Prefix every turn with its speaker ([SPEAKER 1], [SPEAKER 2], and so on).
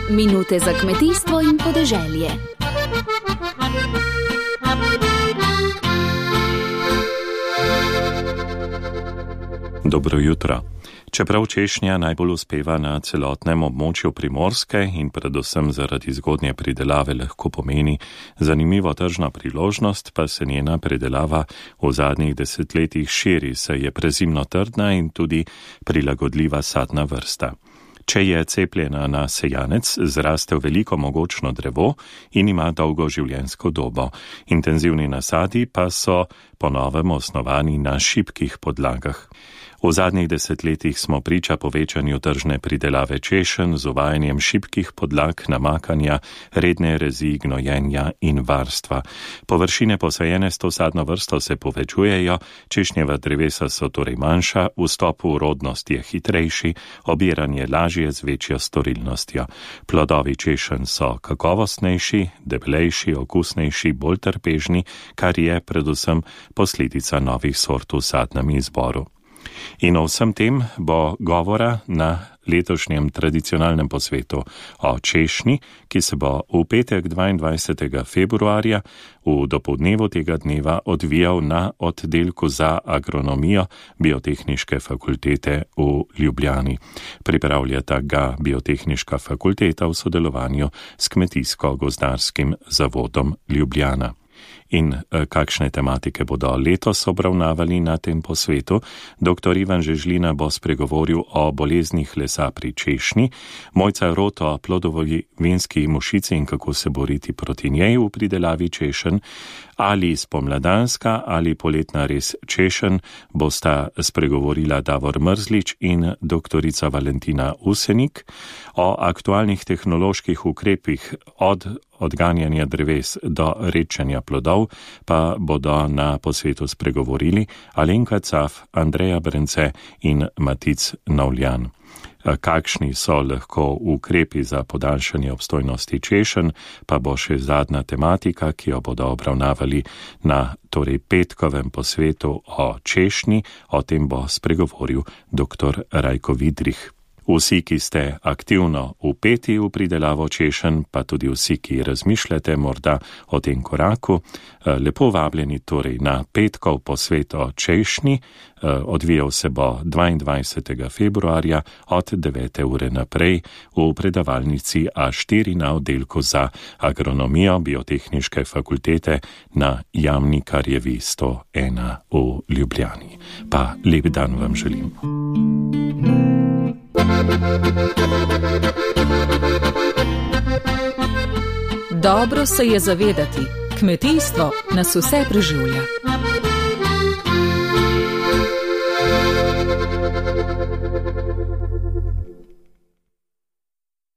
[SPEAKER 1] Minute za kmetijstvo in podeželje.
[SPEAKER 2] Dobro jutro. Čeprav češnja najbolj uspeva na celotnem območju Primorske in predvsem zaradi zgodnje pridelave lahko pomeni zanimivo tržno priložnost, pa se njena pridelava v zadnjih desetletjih širi, saj je prezimno trdna in tudi prilagodljiva sadna vrsta. Če je cepljena na sejanec, zraste v veliko mogočno drevo in ima dolgo življenjsko dobo. Intenzivni nasadi pa so po novem osnovani na šibkih podlagah. V zadnjih desetletjih smo priča povečanju tržne pridelave češenj z uvajanjem šibkih podlag, namakanja, redne rezi, gnojenja in varstva. Površine posajene s to sadno vrsto se povečujejo, češnjeva drevesa so torej manjša, vstop v rodnost je hitrejši, obiranje lažje z večjo storilnostjo. Plodovi češenj so kakovostnejši, debelejši, okusnejši, bolj trpežni, kar je predvsem posledica novih sort v sadnem izboru. In o vsem tem bo govora na letošnjem tradicionalnem posvetu o češnji, ki se bo v petek 22. februarja v dopoldnevu tega dneva odvijal na oddelku za agronomijo Biotehniške fakultete v Ljubljani. Pripravljata ga Biotehniška fakulteta v sodelovanju s Kmetijsko-gozdarskim zavodom Ljubljana. In kakšne tematike bodo letos obravnavali na tem posvetu? Dr. Ivan Žežlina bo spregovoril o boleznih lesa pri češnji, Mojca Rot o plodovi vinski mušici in kako se boriti proti njej v pridelavi češenj, ali spomladanska ali poletna res češenj bosta spregovorila Davor Mrzlič in doktorica Valentina Usenik. O aktualnih tehnoloških ukrepih od odganjanja dreves do redčenja plodov pa bodo na posvetu spregovorili Alenka Caf, Andreja Brence in Matic Novljan. Kakšni so lahko ukrepi za podaljšanje obstojnosti češenj, pa bo še zadnja tematika, ki jo bodo obravnavali na petkovem posvetu o češnji. O tem bo spregovoril dr. Rajko Vidrih. Vsi, ki ste aktivno vpeti v pridelavo češenj, pa tudi vsi, ki razmišljate morda o tem koraku, lepo vabljeni torej na petkov posvet o češnji. Odvijal se bo 22. februarja od 9. ure naprej v predavalnici A4 na oddelku za agronomijo Biotehniške fakultete na Jamnikarjevi 101 v Ljubljani. Pa lep dan vam želim.
[SPEAKER 3] Dobro se je zavedati, kmetijstvo nas vse preživlja.